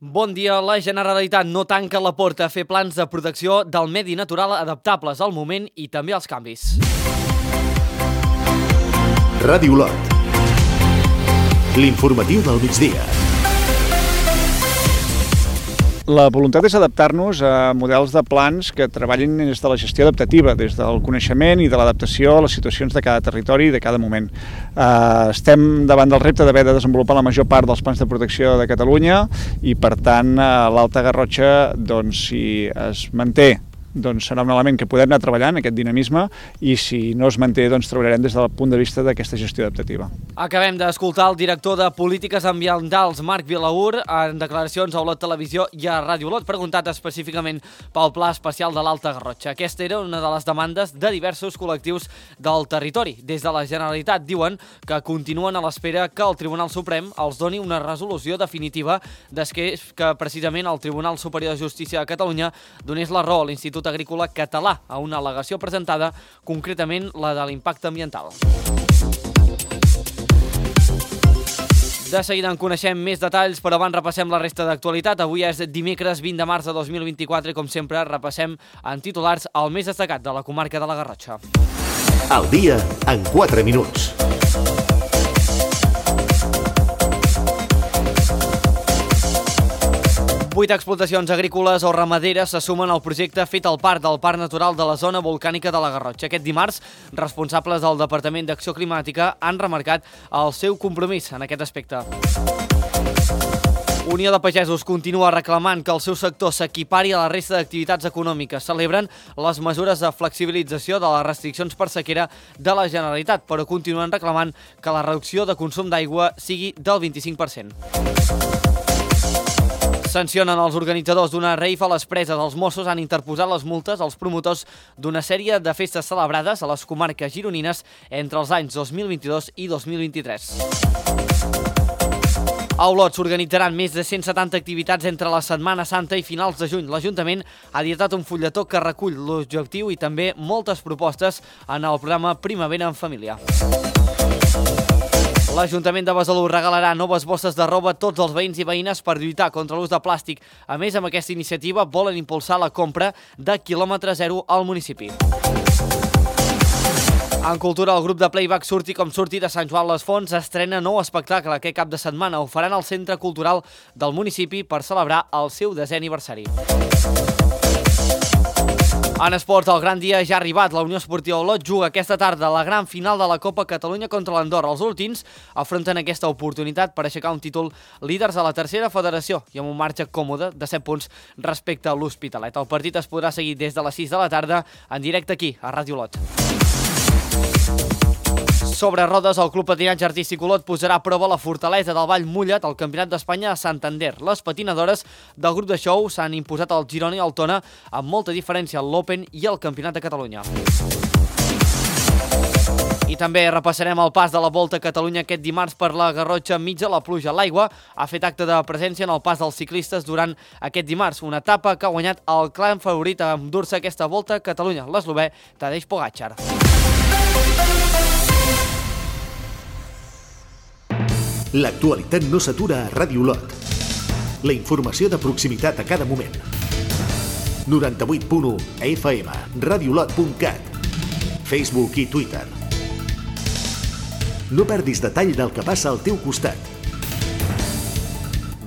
Bon dia. La Generalitat no tanca la porta a fer plans de protecció del medi natural adaptables al moment i també als canvis. Ràdio Lot. L'informatiu del migdia. La voluntat és adaptar-nos a models de plans que treballin des de la gestió adaptativa, des del coneixement i de l'adaptació a les situacions de cada territori i de cada moment. Estem davant del repte d'haver de desenvolupar la major part dels plans de protecció de Catalunya i, per tant, l'Alta Garrotxa, si es manté, serà un element que podem anar treballant, aquest dinamisme, i si no es manté, treballarem des del punt de vista d'aquesta gestió adaptativa. Acabem d'escoltar el director de Polítiques Ambientals, Marc Vilaur, en declaracions a Olot Televisió i a Ràdio Olot, preguntat específicament pel Pla Especial de l'Alta Garrotxa. Aquesta era una de les demandes de diversos col·lectius del territori. Des de la Generalitat diuen que continuen a l'espera que el Tribunal Suprem els doni una resolució definitiva des que precisament el Tribunal Superior de Justícia de Catalunya donés la raó a l'Institut Agrícola Català a una al·legació presentada, concretament la de l'impacte ambiental. De seguida en coneixem més detalls, però abans repassem la resta d'actualitat. Avui és dimecres 20 de març de 2024 i, com sempre, repassem en titulars el més destacat de la comarca de la Garrotxa. El dia en 4 minuts. 8 explotacions agrícoles o ramaderes se sumen al projecte fet al parc del Parc Natural de la Zona Volcànica de la Garrotxa. Aquest dimarts, responsables del Departament d'Acció Climàtica han remarcat el seu compromís en aquest aspecte. Unió de Pagesos continua reclamant que el seu sector s'equipari a la resta d'activitats econòmiques. Celebren les mesures de flexibilització de les restriccions per sequera de la Generalitat, però continuen reclamant que la reducció de consum d'aigua sigui del 25%. Sancionen els organitzadors d'una rave a les preses. Els Mossos han interposat les multes als promotors d'una sèrie de festes celebrades a les comarques gironines entre els anys 2022 i 2023. A Olot s'organitzaran més de 170 activitats entre la Setmana Santa i finals de juny. L'Ajuntament ha editat un fulletó que recull l'objectiu i també moltes propostes en el programa Primavera en Família. L'Ajuntament de Besalú regalarà noves bosses de roba a tots els veïns i veïnes per lluitar contra l'ús de plàstic. A més, amb aquesta iniciativa volen impulsar la compra de quilòmetre zero al municipi. En cultura, el grup de playback Surti com Surti de Sant Joan les Fonts estrena nou espectacle aquest cap de setmana. Ho faran al Centre Cultural del municipi per celebrar el seu 10è aniversari. En esports, el gran dia ja ha arribat. La Unió Esportiva Olot juga aquesta tarda la gran final de la Copa Catalunya contra l'Andorra. Els últims afronten aquesta oportunitat per aixecar un títol líders a la tercera federació i amb un marge còmode de 7 punts respecte a l'Hospitalet. El partit es podrà seguir des de les 6 de la tarda en directe aquí, a Ràdio Olot. Sobre rodes, el Club Patinatge Artístic Olot posarà a prova la fortalesa del Vall Mullat al Campionat d'Espanya a Santander. Les patinadores del grup de show s'han imposat al Girona i al Tona amb molta diferència al l'Open i al Campionat de Catalunya. I també repassarem el pas de la Volta a Catalunya aquest dimarts per la Garrotxa enmig de la pluja. L'aigua ha fet acte de presència en el pas dels ciclistes durant aquest dimarts, una etapa que ha guanyat el clan favorit a endur-se aquesta Volta a Catalunya, l'eslovè Tadej Pogačar. L'actualitat no s'atura a Ràdio Olot. La informació de proximitat a cada moment. 98.1 FM, radiolot.cat, Facebook i Twitter. No perdis detall del que passa al teu costat.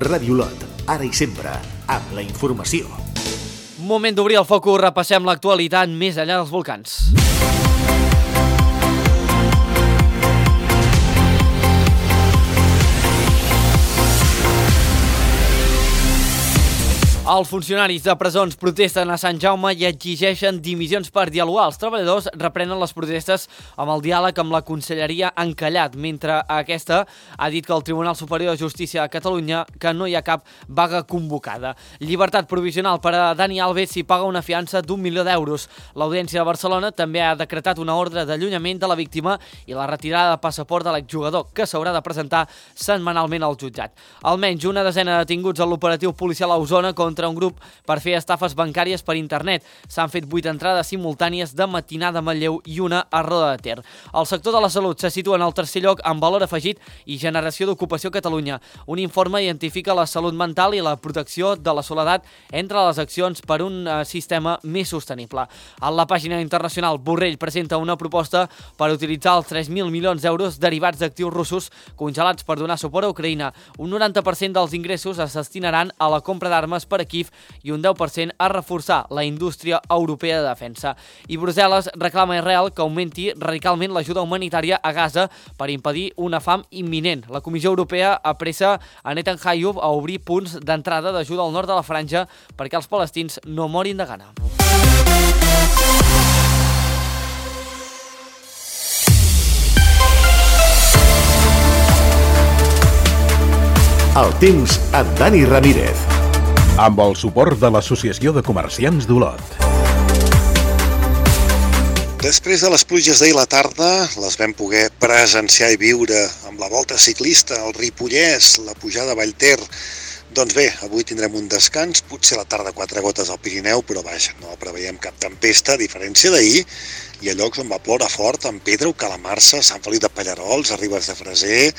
Ràdio Olot, ara i sempre, amb la informació. Moment d'obrir el focus, repassem l'actualitat més enllà dels volcans. Els funcionaris de presons protesten a Sant Jaume i exigeixen dimissions per dialogar. Els treballadors reprenen les protestes amb el diàleg amb la Conselleria encallat, mentre aquesta ha dit que el Tribunal Superior de Justícia de Catalunya que no hi ha cap vaga convocada. Llibertat provisional per a Dani Alves si paga una fiança d'1 milió d'euros. L'Audiència de Barcelona també ha decretat una ordre d'allunyament de la víctima i la retirada de passaport de l'exjugador, que s'haurà de presentar setmanalment al jutjat. Almenys una desena de detinguts en l'operatiu policial a Osona contra contra un grup per fer estafes bancàries per internet. S'han fet 8 entrades simultànies de Matinada a Manlleu i una a Roda de Ter. El sector de la salut se situa en el tercer lloc en valor afegit i generació d'ocupació a Catalunya. Un informe identifica la salut mental i la protecció de la soledat entre les accions per un sistema més sostenible. A la pàgina internacional, Borrell presenta una proposta per utilitzar els 3.000 milions d'euros derivats d'actius russos congelats per donar suport a Ucraïna. Un 90% dels ingressos es destinaran a la compra d'armes per a Kíev i un 10% a reforçar la indústria europea de defensa. I Brussel·les reclama a Israel que augmenti radicalment l'ajuda humanitària a Gaza per impedir una fam imminent. La Comissió Europea apressa a Netanyahu a obrir punts d'entrada d'ajuda al nord de la franja perquè els palestins no morin de gana. El temps amb Dani Ramírez. Amb el suport de l'Associació de Comerciants d'Olot. Després de les pluges d'ahir a la tarda, les vam poder presenciar i viure amb la volta ciclista, el Ripollès, la pujada a Vallter. Doncs bé, avui tindrem un descans, potser a la tarda 4 gotes al Pirineu, però vaja, no preveiem cap tempesta, a diferència d'ahir. Hi ha llocs on va ploure fort, en Pedra o Calamarsa, Sant Feliu de Pallerols, a Ribes de Freser.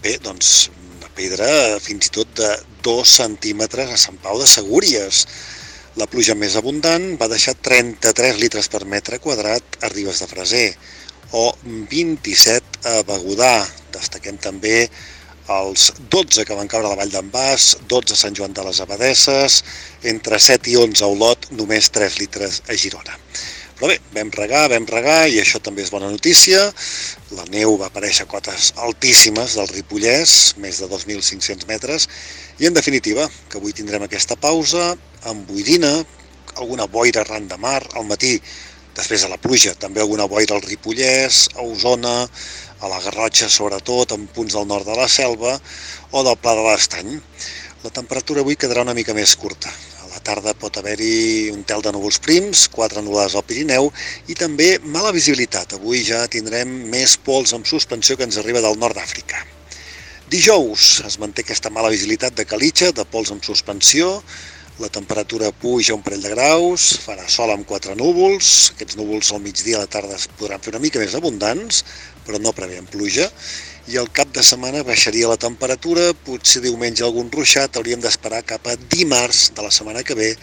Bé, doncs, una pedra fins i tot de 2 centímetres a Sant Pau de Segúries. La pluja més abundant va deixar 33 litres per metre quadrat a Ribes de Freser o 27 a Begudà. Destaquem també els 12 que van caure a la Vall d'en Bas, 12 a Sant Joan de les Abadesses, entre 7 i 11 a Olot, només 3 litres a Girona. Però bé, vam regar i això també és bona notícia. La neu va aparèixer a cotes altíssimes del Ripollès, més de 2.500 metres, i en definitiva, que avui tindrem aquesta pausa amb boirina, alguna boira arran de mar, al matí, després de la pluja, també alguna boira al Ripollès, a Osona, a la Garrotxa sobretot, en punts del nord de la Selva o del Pla de l'Estany. La temperatura avui quedarà una mica més curta. A la tarda pot haver-hi un tel de núvols prims, 4 nuvolades al Pirineu i també mala visibilitat. Avui ja tindrem més pols amb suspensió que ens arriba del nord d'Àfrica. Dijous es manté aquesta mala visibilitat de calitja, de pols amb suspensió. La temperatura puja un parell de graus, farà sol amb 4 núvols. Aquests núvols al migdia a la tarda es podran fer una mica més abundants, però no preveiem pluja. I al cap de setmana baixaria la temperatura, potser diumenge algun ruixat, hauríem d'esperar cap a dimarts de la setmana que ve,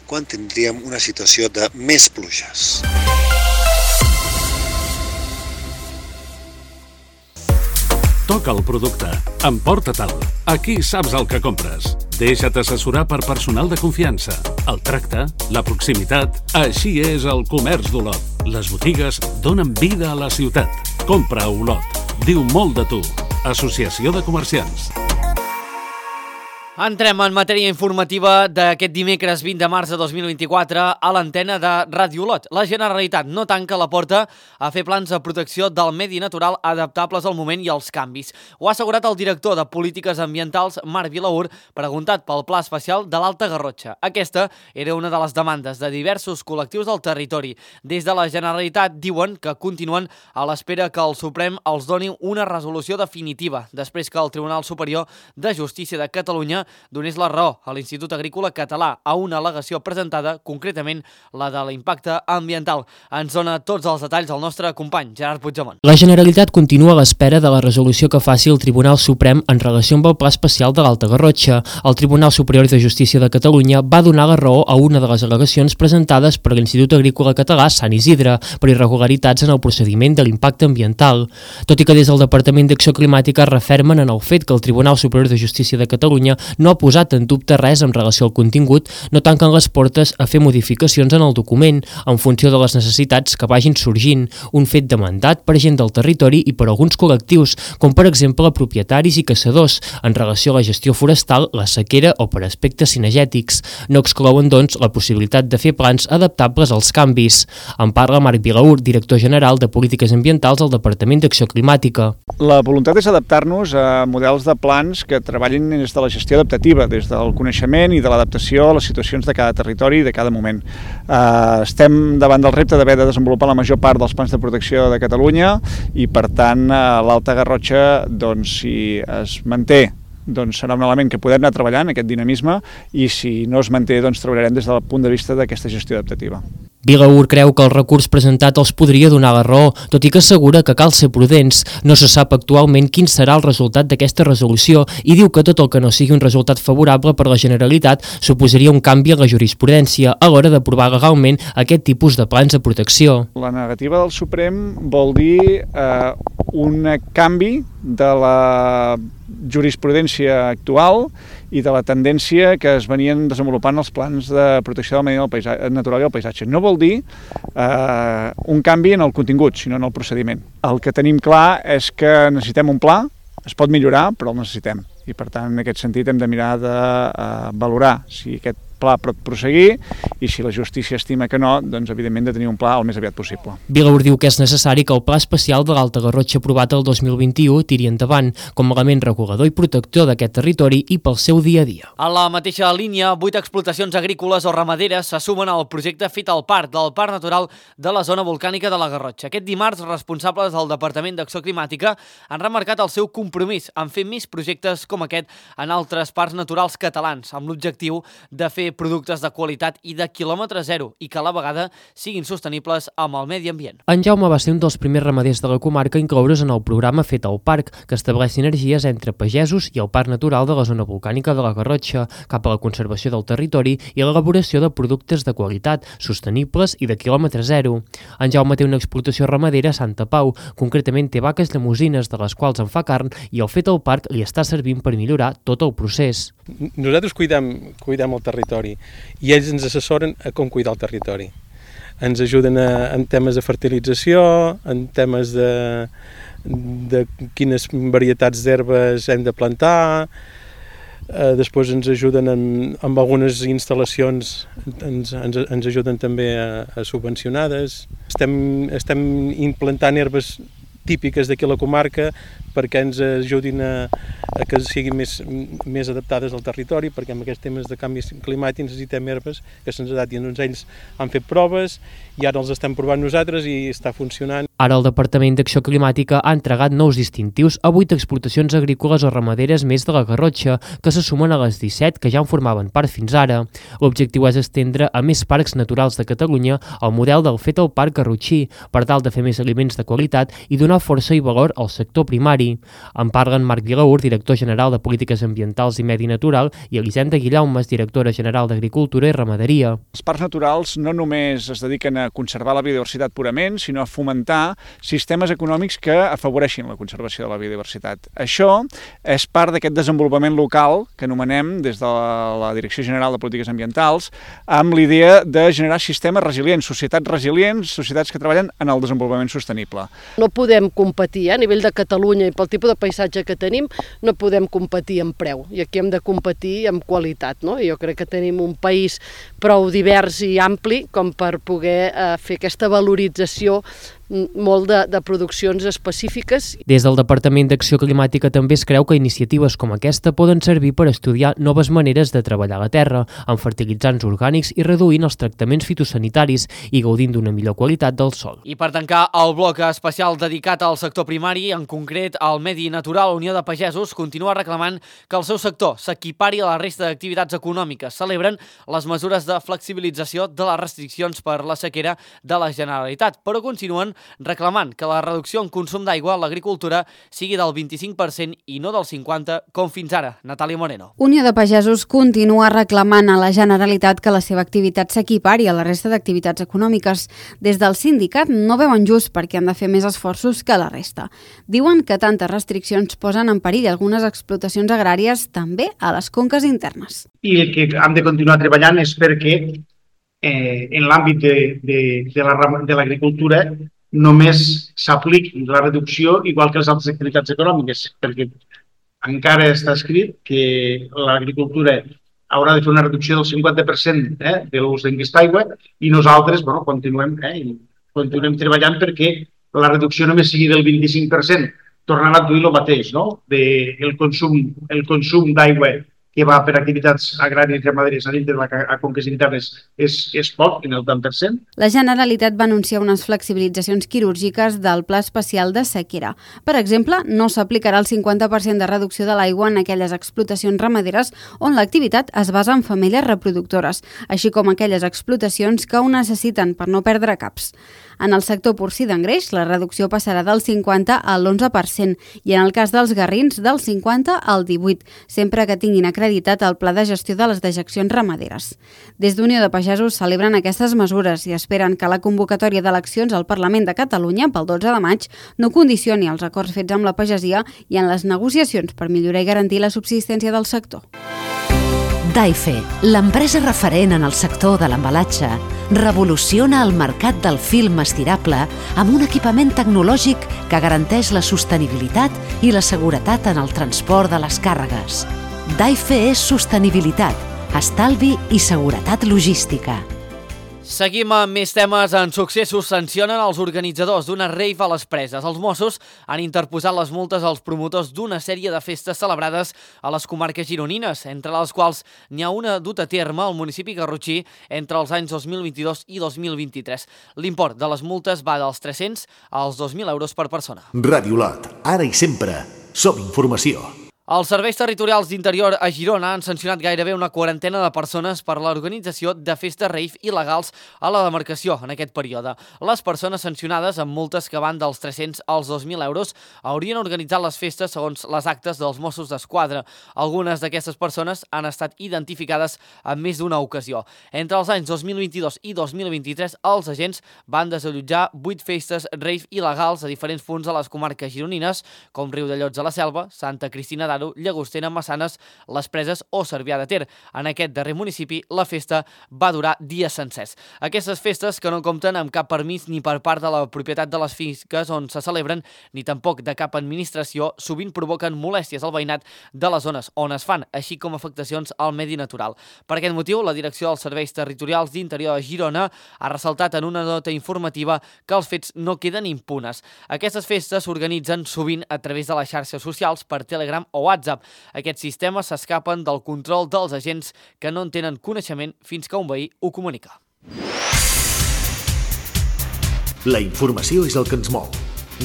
quan tindríem una situació de més pluges. Toca el producte, emporta-te'l. Aquí saps el que compres. Deixa't assessorar per personal de confiança. El tracte, la proximitat, així és el comerç d'Olot. Les botigues donen vida a la ciutat. Compra a Olot. Diu molt de tu. Associació de Comerciants. Entrem en matèria informativa d'aquest dimecres 20 de març de 2024 a l'antena de Ràdio Olot. La Generalitat no tanca la porta a fer plans de protecció del medi natural adaptables al moment i als canvis. Ho ha assegurat el director de Polítiques Ambientals, Marc Vilaur, preguntat pel Pla Especial de l'Alta Garrotxa. Aquesta era una de les demandes de diversos col·lectius del territori. Des de la Generalitat diuen que continuen a l'espera que el Suprem els doni una resolució definitiva, després que el Tribunal Superior de Justícia de Catalunya donés la raó a l'Institut Agrícola Català a una al·legació presentada, concretament la de l'impacte ambiental. Ens dona tots els detalls el nostre company, Gerard Puigdemont. La Generalitat continua a l'espera de la resolució que faci el Tribunal Suprem en relació amb el Pla Especial de l'Alta Garrotxa. El Tribunal Superior de Justícia de Catalunya va donar la raó a una de les al·legacions presentades per l'Institut Agrícola Català Sant Isidre per irregularitats en el procediment de l'impacte ambiental. Tot i que des del Departament d'Acció Climàtica refermen en el fet que el Tribunal Superior de Justícia de Catalunya no ha posat en dubte res en relació al contingut, no tanquen les portes a fer modificacions en el document en funció de les necessitats que vagin sorgint, un fet demandat per gent del territori i per alguns col·lectius, com per exemple propietaris i caçadors, en relació a la gestió forestal, la sequera o per aspectes cinegètics. No exclouen, doncs, la possibilitat de fer plans adaptables als canvis. En parla Marc Vilaur, director general de Polítiques Ambientals al Departament d'Acció Climàtica. La voluntat és adaptar-nos a models de plans que treballin des de la gestió adaptativa, des del coneixement i de l'adaptació a les situacions de cada territori i de cada moment. Estem davant del repte d'haver de desenvolupar la major part dels plans de protecció de Catalunya i, per tant, l'Alta Garrotxa, doncs, si es manté doncs serà un element que podem anar treballant, aquest dinamisme, i si no es manté, doncs treballarem des del punt de vista d'aquesta gestió adaptativa. Vilaür creu que el recurs presentat els podria donar la raó, tot i que assegura que cal ser prudents. No se sap actualment quin serà el resultat d'aquesta resolució i diu que tot el que no sigui un resultat favorable per la Generalitat suposaria un canvi en la jurisprudència a l'hora d'aprovar legalment aquest tipus de plans de protecció. La negativa del Suprem vol dir un canvi de la jurisprudència actual i de la tendència que es venien desenvolupant els plans de protecció del medi natural i el paisatge. No vol dir un canvi en el contingut, sinó en el procediment. El que tenim clar és que necessitem un pla, es pot millorar, però el necessitem. I per tant, en aquest sentit, hem de mirar de valorar si aquest pla pot prosseguir i si la justícia estima que no, doncs evidentment de tenir un pla el més aviat possible. Vilaür diu que és necessari que el pla especial de l'Alta Garrotxa aprovat el 2021 tiri endavant com a element regulador i protector d'aquest territori i pel seu dia a dia. A la mateixa línia, 8 explotacions agrícoles o ramaderes se sumen al projecte Fit al Parc, del Parc Natural de la Zona Volcànica de la Garrotxa. Aquest dimarts, responsables del Departament d'Acció Climàtica han remarcat el seu compromís en fer més projectes com aquest en altres parcs naturals catalans, amb l'objectiu de fer productes de qualitat i de quilòmetre zero i que a la vegada siguin sostenibles amb el medi ambient. En Jaume va ser un dels primers ramaders de la comarca a incloure's en el programa Fet al Parc, que estableix sinergies entre pagesos i el Parc Natural de la Zona Volcànica de la Garrotxa, cap a la conservació del territori i l'elaboració de productes de qualitat, sostenibles i de quilòmetre zero. En Jaume té una explotació ramadera a Santa Pau, concretament té vaques llemosines de les quals en fa carn i el Fet al Parc li està servint per millorar tot el procés. Nosaltres cuidem el territori i ells ens assessoren a com cuidar el territori. Ens ajuden en temes de fertilització, en temes de quines varietats d'herbes hem de plantar, després ens ajuden amb algunes instal·lacions, ens ajuden també a subvencionades. Estem implantant herbes típiques d'aquí a la comarca perquè ens ajudin a que siguin més adaptades al territori, perquè amb aquests temes de canvi climàtic necessitem herbes que se'ns adaptin. Doncs ells han fet proves i ara els estem provant nosaltres i està funcionant. Ara el Departament d'Acció Climàtica ha entregat nous distintius a 8 explotacions agrícoles o ramaderes més de la Garrotxa, que se sumen a les 17 que ja en formaven part fins ara. L'objectiu és estendre a més parcs naturals de Catalunya el model del Fet al Parc garrotxí, per tal de fer més aliments de qualitat i donar força i valor al sector primari. En parlen Marc Vilaür, director general de Polítiques Ambientals i Medi Natural, i Elisenda Guillaumes, directora general d'Agricultura i Ramaderia. Els parcs naturals no només es dediquen a conservar la biodiversitat purament, sinó a fomentar sistemes econòmics que afavoreixin la conservació de la biodiversitat. Això és part d'aquest desenvolupament local que anomenem des de la Direcció General de Polítiques Ambientals, amb l'idea de generar sistemes resilients, societats que treballen en el desenvolupament sostenible. No podem competir a nivell de Catalunya i pel tipus de paisatge que tenim, no podem competir en preu i aquí hem de competir en qualitat, no? Jo crec que tenim un país prou divers i ampli com per poder fer aquesta valorització molt de produccions específiques. Des del Departament d'Acció Climàtica també es creu que iniciatives com aquesta poden servir per estudiar noves maneres de treballar la terra, amb fertilitzants orgànics i reduint els tractaments fitosanitaris i gaudint d'una millor qualitat del sòl. I per tancar el bloc especial dedicat al sector primari, en concret al medi natural, Unió de Pagesos continua reclamant que el seu sector s'equipari a la resta d'activitats econòmiques. Celebren les mesures de flexibilització de les restriccions per la sequera de la Generalitat, però continuen reclamant que la reducció en consum d'aigua a l'agricultura sigui del 25% i no del 50% com fins ara. Natàlia Moreno. Unió de Pagesos continua reclamant a la Generalitat que la seva activitat s'equipari a la resta d'activitats econòmiques. Des del sindicat no veuen just perquè han de fer més esforços que la resta. Diuen que tantes restriccions posen en perill algunes explotacions agràries també a les conques internes. I el que hem de continuar treballant és perquè en l'àmbit de l'agricultura només s'apliqui la reducció igual que les altres activitats econòmiques, perquè encara està escrit que l'agricultura haurà de fer una reducció del 50% de l'ús d'aquesta aigua i nosaltres continuem treballant perquè la reducció només sigui del 25%, tornant a adduir el mateix, no? El consum d'aigua que va per activitats agràries i ramaderes a dintre de les conques internes és poc, en el 10%. La Generalitat va anunciar unes flexibilitzacions quirúrgiques del Pla Especial de Sequera. Per exemple, no s'aplicarà el 50% de reducció de l'aigua en aquelles explotacions ramaderes on l'activitat es basa en femelles reproductores, així com aquelles explotacions que ho necessiten per no perdre caps. En el sector porcí d'engreix, la reducció passarà del 50 a l'11% i en el cas dels garrins del 50 al 18%, sempre que tinguin acreditat el Pla de Gestió de les Dejeccions Ramaderes. Des d'Unió de Pagesos celebren aquestes mesures i esperen que la convocatòria d'eleccions al Parlament de Catalunya pel 12 de maig no condicioni els acords fets amb la pagesia i en les negociacions per millorar i garantir la subsistència del sector. Daife, l'empresa referent en el sector de l'embalatge, revoluciona el mercat del film estirable amb un equipament tecnològic que garanteix la sostenibilitat i la seguretat en el transport de les càrregues. Daife és sostenibilitat, estalvi i seguretat logística. Seguim amb més temes. En successos sancionen els organitzadors d'una rave a les Preses. Els Mossos han interposat les multes als promotors d'una sèrie de festes celebrades a les comarques gironines, entre les quals n'hi ha una dut a terme al municipi garrotxí entre els anys 2022 i 2023. L'import de les multes va dels 300 als 2.000 euros per persona. Ràdio Lot, ara i sempre, som informació. Els serveis territorials d'Interior a Girona han sancionat gairebé una quarantena de persones per l'organització de festes rave il·legals a la demarcació en aquest període. Les persones sancionades amb multes que van dels 300 als 2.000 euros haurien organitzat les festes segons les actes dels Mossos d'Esquadra. Algunes d'aquestes persones han estat identificades en més d'una ocasió. Entre els anys 2022 i 2023, els agents van desallotjar 8 festes rave il·legals a diferents punts de les comarques gironines, com Riudellots de la Selva, Santa Cristina d'Aro, Llagostera, Massanes, les Preses o Cervià de Ter. En aquest darrer municipi, la festa va durar dies sencers. Aquestes festes, que no compten amb cap permís ni per part de la propietat de les finques on se celebren, ni tampoc de cap administració, sovint provoquen molèsties al veïnat de les zones on es fan, així com afectacions al medi natural. Per aquest motiu, la Direcció dels Serveis Territorials d'Interior a Girona ha ressaltat en una nota informativa que els fets no queden impunes. Aquestes festes s'organitzen sovint a través de les xarxes socials per Telegram o WhatsApp. Aquests sistemes s'escapen del control dels agents que no en tenen coneixement fins que un veí ho comunica. La informació és el que ens mou.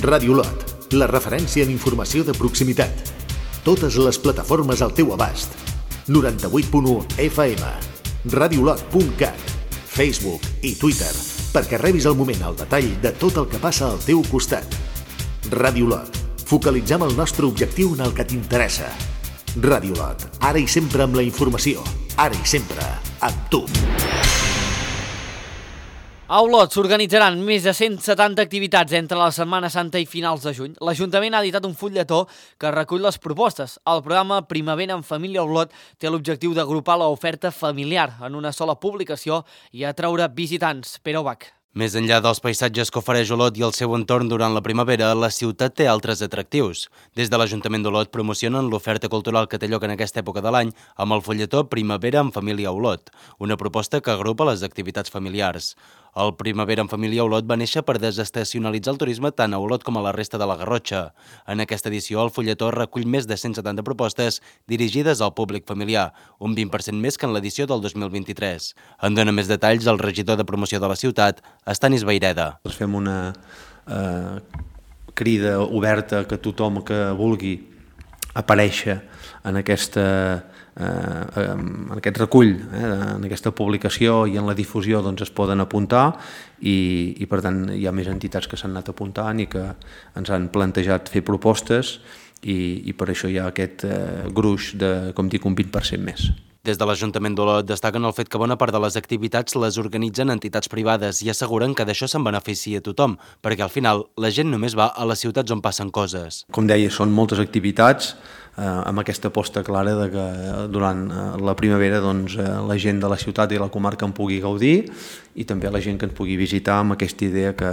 Ràdio Lot, la referència en informació de proximitat. Totes les plataformes al teu abast. 98.1 FM, radiolot.cat, Facebook i Twitter, perquè rebis al moment el detall de tot el que passa al teu costat. Ràdio Lot, focalitzem el nostre objectiu en el que t'interessa. Ràdio Lot, ara i sempre amb la informació, ara i sempre amb tu. A Olot s'organitzaran més de 170 activitats entre la Setmana Santa i finals de juny. L'Ajuntament ha editat un fulletó que recull les propostes. El programa Primavera en Família Olot té l'objectiu d'agrupar l'oferta familiar en una sola publicació i atraure visitants. Pere Ubach. Més enllà dels paisatges que ofereix Olot i el seu entorn durant la primavera, la ciutat té altres atractius. Des de l'Ajuntament d'Olot promocionen l'oferta cultural que té lloc en aquesta època de l'any amb el fulletó Primavera en Família Olot, una proposta que agrupa les activitats familiars. El Primavera en Família Olot va néixer per desestacionalitzar el turisme tant a Olot com a la resta de la Garrotxa. En aquesta edició, el fulletó recull més de 170 propostes dirigides al públic familiar, un 20% més que en l'edició del 2023. En dona més detalls el regidor de promoció de la ciutat, Estanis Vaireda. Fem una crida oberta que tothom que vulgui aparèixer en aquest recull, en aquesta publicació i en la difusió doncs es poden apuntar i per tant hi ha més entitats que s'han anat apuntant i que ens han plantejat fer propostes i per això hi ha aquest gruix de, com dic, un 20% més. Des de l'Ajuntament d'Olot destaquen el fet que bona part de les activitats les organitzen entitats privades i asseguren que d'això se'n beneficia tothom, perquè al final la gent només va a les ciutats on passen coses. Com deia, són moltes activitats amb aquesta aposta clara de que durant la primavera doncs, la gent de la ciutat i la comarca en pugui gaudir i també la gent que ens pugui visitar amb aquesta idea que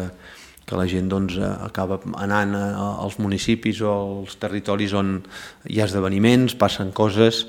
la gent doncs, acaba anant als municipis o als territoris on hi ha esdeveniments, passen coses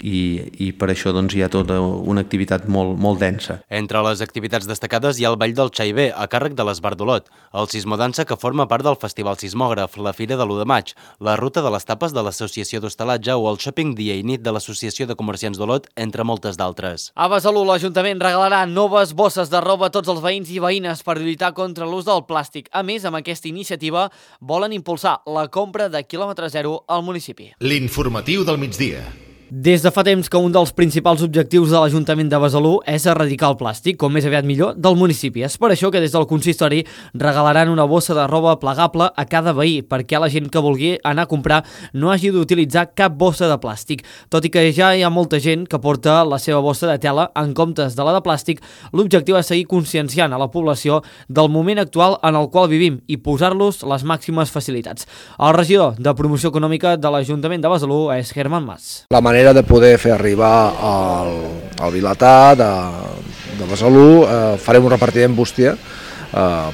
i per això doncs, hi ha tota una activitat molt densa. Entre les activitats destacades hi ha el Ball del Xaibé, a càrrec de l'Esbar d'Olot, el Sismodansa, que forma part del Festival Sismògraf, la Fira de l'1 de maig, la Ruta de les Tapes de l'Associació d'Hostalatge o el Shopping Dia i Nit de l'Associació de Comerciants d'Olot, entre moltes d'altres. A Besalú, l'Ajuntament regalarà noves bosses de roba a tots els veïns i veïnes per lluitar contra l'ús del plàstic. A més, amb aquesta iniciativa volen impulsar la compra de quilòmetre zero al municipi. L'informatiu del migdia. Des de fa temps que un dels principals objectius de l'Ajuntament de Besalú és erradicar el plàstic, com més aviat millor, del municipi. És per això que des del consistori regalaran una bossa de roba plegable a cada veí, perquè la gent que vulgui anar a comprar no hagi d'utilitzar cap bossa de plàstic. Tot i que ja hi ha molta gent que porta la seva bossa de tela en comptes de la de plàstic, l'objectiu és seguir conscienciant a la població del moment actual en el qual vivim i posar-los les màximes facilitats. El regidor de Promoció Econòmica de l'Ajuntament de Besalú és Germán Mas. La manera de poder fer arribar al Vilatà de Besalú, farem un repartiment bústia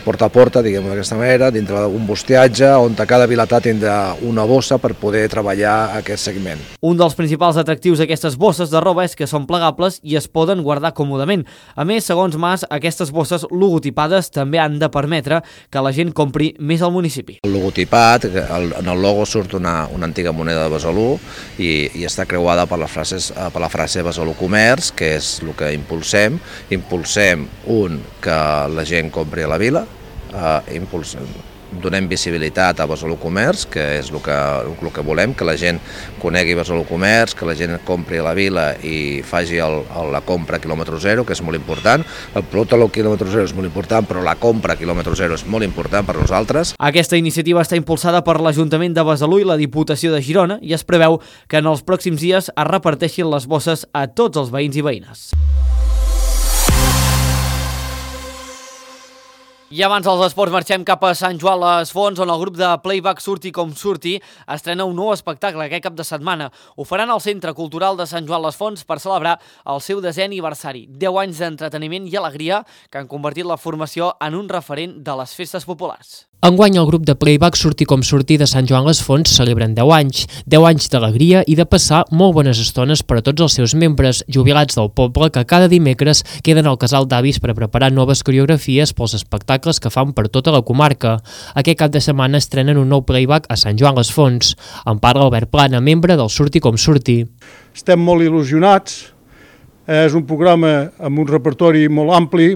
porta a porta, diguem-ho d'aquesta manera, dintre d'un bustiatge on cada vilatà tindrà una bossa per poder treballar aquest segment. Un dels principals atractius d'aquestes bosses de roba és que són plegables i es poden guardar còmodament. A més, segons Mas, aquestes bosses logotipades també han de permetre que la gent compri més al municipi. El logotipat, en el logo surt una antiga moneda de Besalú i està creuada per la frase Besalú Comerç, que és el que impulsem. Impulsem, que la gent compri a la vila, donem visibilitat a Besalú Comerç, que és el que volem, que la gent conegui Besalú Comerç, que la gent compri a la vila i faci la compra a quilòmetre zero, que és molt important. El producte al quilòmetre zero és molt important, però la compra a quilòmetre zero és molt important per nosaltres. Aquesta iniciativa està impulsada per l'Ajuntament de Besalú i la Diputació de Girona i es preveu que en els pròxims dies es reparteixin les bosses a tots els veïns i veïnes. I abans dels esports marxem cap a Sant Joan les Fonts, on el grup de playback Surti com surti estrena un nou espectacle aquest cap de setmana. Ho faran al Centre Cultural de Sant Joan les Fonts per celebrar el seu 10è aniversari. 10 anys d'entreteniment i alegria que han convertit la formació en un referent de les festes populars. Enguany el grup de playback Surti com surti de Sant Joan les Fonts celebren 10 anys. 10 anys d'alegria i de passar molt bones estones per a tots els seus membres, jubilats del poble, que cada dimecres queden al casal d'avis per preparar noves coreografies pels espectacles que fan per tota la comarca. Aquest cap de setmana estrenen un nou playback a Sant Joan les Fonts. En parla Albert Plana, membre del Surti com surti. Estem molt il·lusionats. És un programa amb un repertori molt ampli,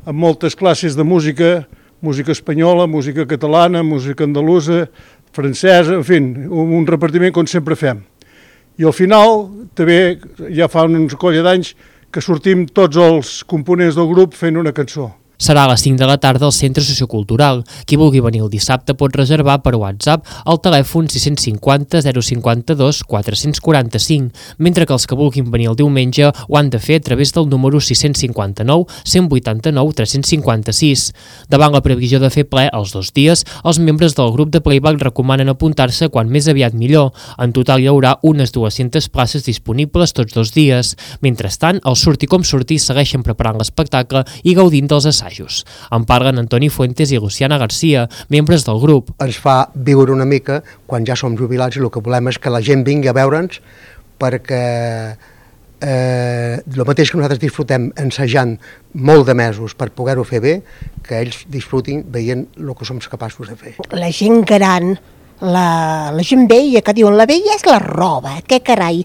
amb moltes classes de música espanyola, música catalana, música andalusa, francesa, en fi, un repartiment com sempre fem. I al final, també, ja fa uns colla d'anys, que sortim tots els components del grup fent una cançó. Serà a les 5 de la tarda al Centre Sociocultural. Qui vulgui venir el dissabte pot reservar per WhatsApp al telèfon 650 052 445, mentre que els que vulguin venir el diumenge ho han de fer a través del número 659 189 356. Davant la previsió de fer ple els 2 dies, els membres del grup de playback recomanen apuntar-se quan més aviat millor. En total hi haurà unes 200 places disponibles tots 2 dies. Mentrestant, el Surti com surti segueixen preparant l'espectacle i gaudint dels assajos. En parlen Antoni Fuentes i Luciana Garcia, membres del grup. Ens fa viure una mica quan ja som jubilats i el que volem és que la gent vingui a veure'ns perquè el mateix que nosaltres disfrutem ensajant molt de mesos per poder-ho fer bé, que ells disfrutin veient el que som capaços de fer. La gent gran, la gent vella, que diuen la vella és la roba, què carai,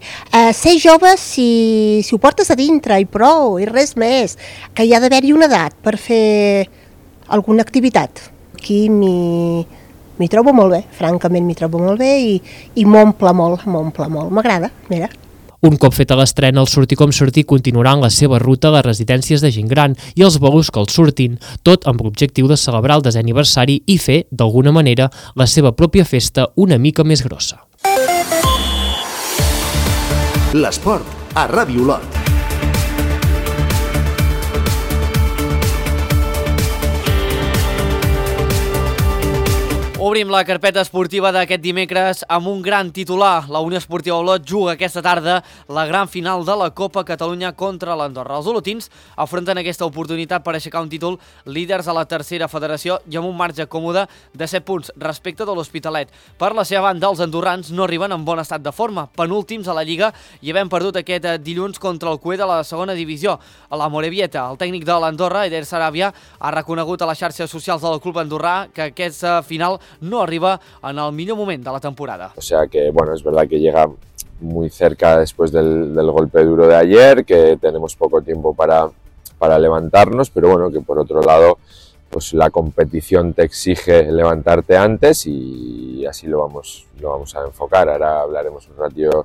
ser jove si ho portes a dintre i prou, i res més, que hi ha d'haver-hi una edat per fer alguna activitat. Aquí m'hi trobo molt bé, francament m'hi trobo molt bé i m'omple molt, m'agrada, mira. Un cop feta l'estrena, el Surti com surti continuarà en la seva ruta a les residències de gent gran i els bolos que els surtin, tot amb l'objectiu de celebrar el 10è aniversari i fer, d'alguna manera, la seva pròpia festa una mica més grossa. L'esport a Ràdio Olot. Obrim la carpeta esportiva d'aquest dimecres amb un gran titular. La Unió Esportiva Olot juga aquesta tarda la gran final de la Copa Catalunya contra l'Andorra. Els olotins afronten aquesta oportunitat per aixecar un títol líders a la tercera federació i amb un marge còmode de 7 punts respecte de l'Hospitalet. Per la seva banda, els andorrans no arriben en bon estat de forma, penúltims a la Lliga i havent perdut aquest dilluns contra el Cué de la segona divisió. A la Morevieta, el tècnic de l'Andorra, Eder Sarabia, ha reconegut a les xarxes socials del club andorrà que aquesta final no arriba en el millor moment de la temporada. O sea que, bueno, es verdad que llega muy cerca después del golpe duro de ayer, que tenemos poco tiempo para levantarnos, pero bueno, que por otro lado, pues la competición te exige levantarte antes y así lo vamos a enfocar. Ahora hablaremos un ratito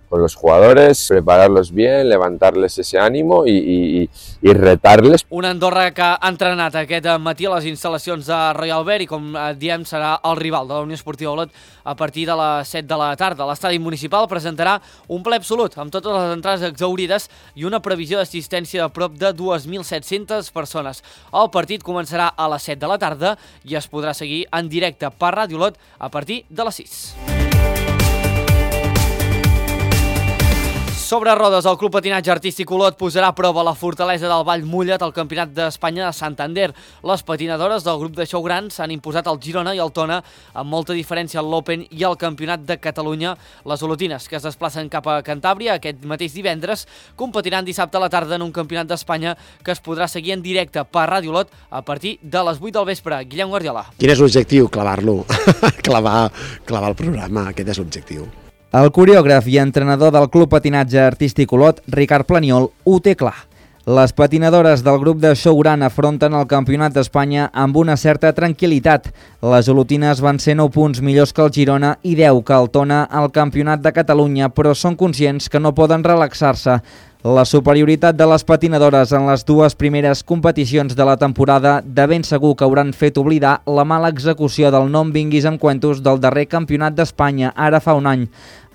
con los jugadores, prepararlos bien, levantarles ese ánimo y retarles. Una Andorra que ha entrenat aquest matí a les instal·lacions de Royal Bear i, com diem, serà el rival de la Unió Esportiva Olot a partir de les 7 de la tarda. L'estadi municipal presentarà un ple absolut amb totes les entrades exhaurides i una previsió d'assistència de prop de 2.700 persones. El partit començarà a les 7 de la tarda i es podrà seguir en directe per Ràdio Olot a partir de les 6. Sobre rodes, el Club Patinatge Artístic Olot posarà a prova la fortalesa del Vall Mullet al Campionat d'Espanya de Santander. Les patinadores del grup de xou gran s'han imposat al Girona i al Tona amb molta diferència al l'Open i al Campionat de Catalunya. Les olotines, que es desplacen cap a Cantàbria aquest mateix divendres, competiran dissabte a la tarda en un Campionat d'Espanya que es podrà seguir en directe per Ràdio Olot a partir de les 8 del vespre. Guillem Guardiola. Quin és l'objectiu? Clavar-lo. clavar el programa, aquest és l'objectiu. El coreògraf i entrenador del Club Patinatge Artístic Olot, Ricard Planiol, ho té clar. Les patinadores del grup de xou gran afronten el Campionat d'Espanya amb una certa tranquil·litat. Les olotines van ser 9 punts millors que el Girona i 10 que el Tona al Campionat de Catalunya, però són conscients que no poden relaxar-se. La superioritat de les patinadores en les dues primeres competicions de la temporada de ben segur que hauran fet oblidar la mala execució del no em vinguis amb cuentos del darrer Campionat d'Espanya, ara fa un any.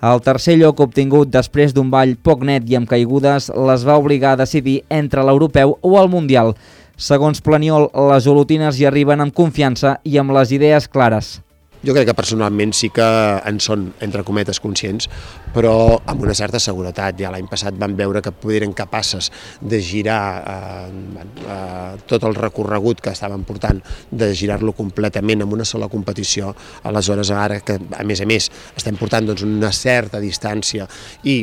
El tercer lloc obtingut després d'un ball poc net i amb caigudes les va obligar a decidir entre l'europeu o el mundial. Segons Planiol, les olotines hi arriben amb confiança i amb les idees clares. Jo crec que personalment sí que en són, entre cometes, conscients, però amb una certa seguretat. Ja l'any passat vam veure que eren capaces de girar tot el recorregut que estaven portant, de girar-lo completament en una sola competició. Aleshores, ara que, a més, estem portant una certa distància i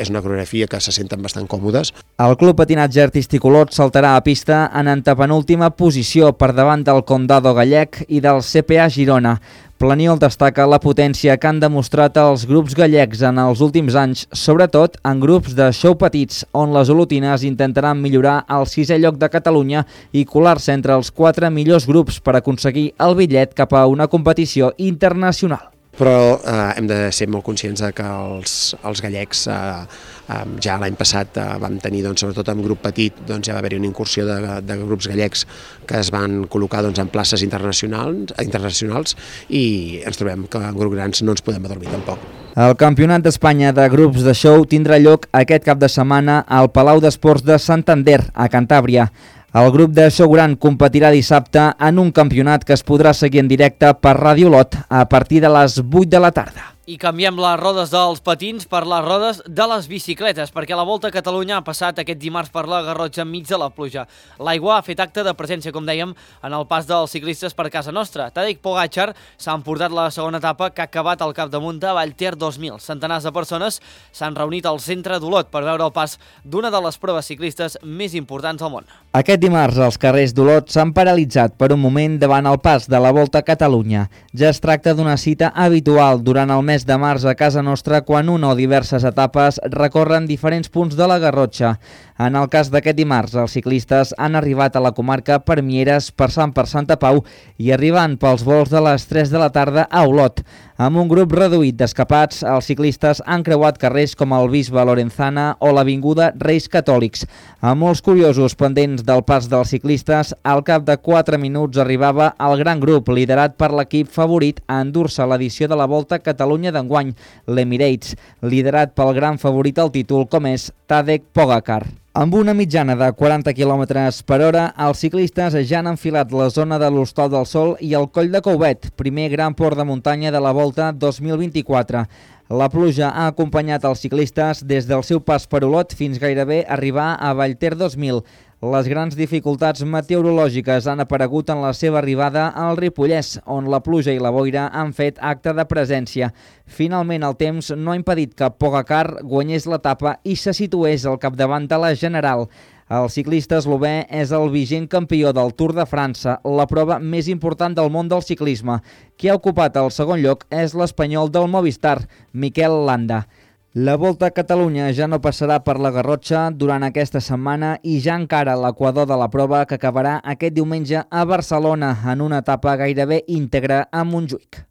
és una coreografia que se senten bastant còmodes. El Club Patinatge Artístic Olot saltarà a pista en antepenúltima posició per davant del Condado gallec i del CPA Girona. Planiol destaca la potència que han demostrat els grups gallecs en els últims anys, sobretot en grups de xou petits, on les olotines intentaran millorar el 6è lloc de Catalunya i colar-se entre els 4 millors grups per aconseguir el bitllet cap a una competició internacional. Però hem de ser molt conscients que els gallecs ja l'any passat vam tenir, sobretot en grup petit, ja va haver-hi una incursió de grups gallecs que es van col·locar en places internacionals i ens trobem que en grups grans no ens podem adormir tampoc. El Campionat d'Espanya de grups de xou tindrà lloc aquest cap de setmana al Palau d'Esports de Santander, a Cantàbria. El grup de xou gran competirà dissabte en un campionat que es podrà seguir en directe per Ràdio Olot a partir de les 8 de la tarda. I canviem les rodes dels patins per les rodes de les bicicletes, perquè la Volta a Catalunya ha passat aquest dimarts per la Garrotxa enmig de la pluja. L'aigua ha fet acte de presència, com dèiem, en el pas dels ciclistes per casa nostra. Tadej Pogačar s'ha emportat la segona etapa que ha acabat al capdamunt de Vallter 2000. Centenars de persones s'han reunit al centre d'Olot per veure el pas d'una de les proves ciclistes més importants del món. Aquest dimarts els carrers d'Olot s'han paralitzat per un moment davant el pas de la Volta a Catalunya. Ja es tracta d'una cita habitual durant el mes de març a casa nostra quan una o diverses etapes recorren diferents punts de la Garrotxa. En el cas d'aquest dimarts, els ciclistes han arribat a la comarca per Mieres, passant per Santa Pau i arribant pels vols de les 3 de la tarda a Olot. Amb un grup reduït d'escapats, els ciclistes han creuat carrers com el Bisbe Lorenzana o l'avinguda Reis Catòlics. Amb molts curiosos pendents del pas dels ciclistes, al cap de 4 minuts arribava el gran grup liderat per l'equip favorit a endur-se l'edició de la Volta a Catalunya d'enguany, l'Emirates, liderat pel gran favorit al títol com és Tadej Pogačar. Amb una mitjana de 40 km per hora, els ciclistes ja han enfilat la zona de l'Hostal del Sol i el Coll de Couvet, primer gran port de muntanya de la Volta 2024. La pluja ha acompanyat els ciclistes des del seu pas per Olot fins gairebé arribar a Vallter 2000. Les grans dificultats meteorològiques han aparegut en la seva arribada al Ripollès, on la pluja i la boira han fet acte de presència. Finalment, el temps no ha impedit que Pogacar guanyés l'etapa i se situés al capdavant de la general. El ciclista eslové és el vigent campió del Tour de França, la prova més important del món del ciclisme. Qui ha ocupat el segon lloc és l'espanyol del Movistar, Miquel Landa. La Volta a Catalunya ja no passarà per la Garrotxa durant aquesta setmana i ja encara l'equador de la prova que acabarà aquest diumenge a Barcelona en una etapa gairebé íntegra a Montjuïc.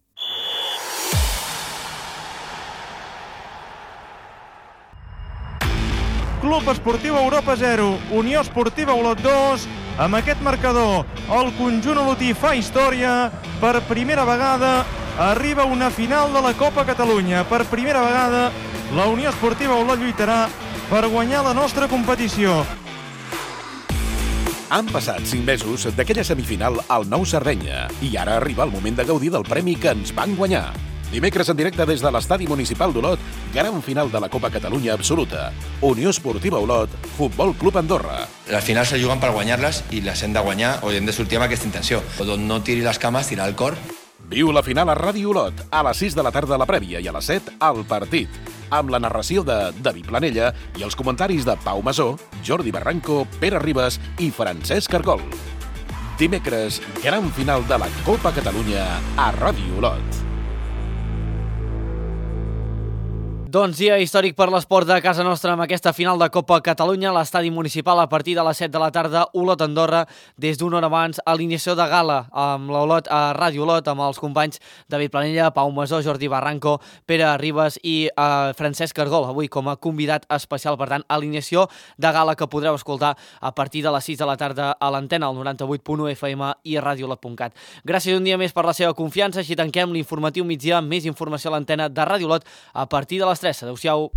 Club Esportiu Europa 0, Unió Esportiva Olot 2, amb aquest marcador el conjunt olotí fa història, per primera vegada arriba a una final de la Copa Catalunya, per primera vegada la Unió Esportiva Olot lluitarà per guanyar la nostra competició. Han passat 5 mesos d'aquella semifinal al Nou Sardenya i ara arriba el moment de gaudir del premi que ens van guanyar. Dimecres en directe des de l'Estadi Municipal d'Olot, gran final de la Copa Catalunya absoluta. Unió Esportiva Olot, Futbol Club Andorra. Les finals se juguen per guanyar-les i les hem de guanyar o hem de sortir amb aquesta intenció. D'on no tiri les cames, tirar el cor. Viu la final a Ràdio Olot, a les 6 de la tarda a la prèvia i a les 7 al partit, amb la narració de David Planella i els comentaris de Pau Masó, Jordi Barranco, Pere Ribas i Francesc Cargol. Dimecres, gran final de la Copa Catalunya a Ràdio Olot. Doncs dia històric per l'esport de casa nostra amb aquesta final de Copa Catalunya a l'estadi municipal a partir de les 7 de la tarda, Olot-Andorra, des d'una hora abans, alineació de gala amb l'Olot a Ràdio Olot, amb els companys David Planella, Pau Masó, Jordi Barranco, Pere Ribas i Francesc Cargol, avui com a convidat especial. Per tant, alineació de gala que podreu escoltar a partir de les 6 de la tarda a l'antena, al 98.1 FM i a radiolot.cat. Gràcies un dia més per la seva confiança. Així tanquem l'informatiu migdia, més informació a l'antena de Ràdio Olot a partir de les 3. Adéu-siau.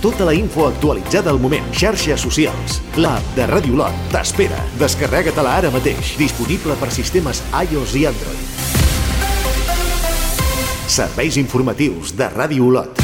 Tota la info actualitzada al moment. Xarxes socials. L'app de Ràdio Olot t'espera. Descarrega-te-la ara mateix. Disponible per sistemes iOS i Android. Serveis informatius de Ràdio Olot.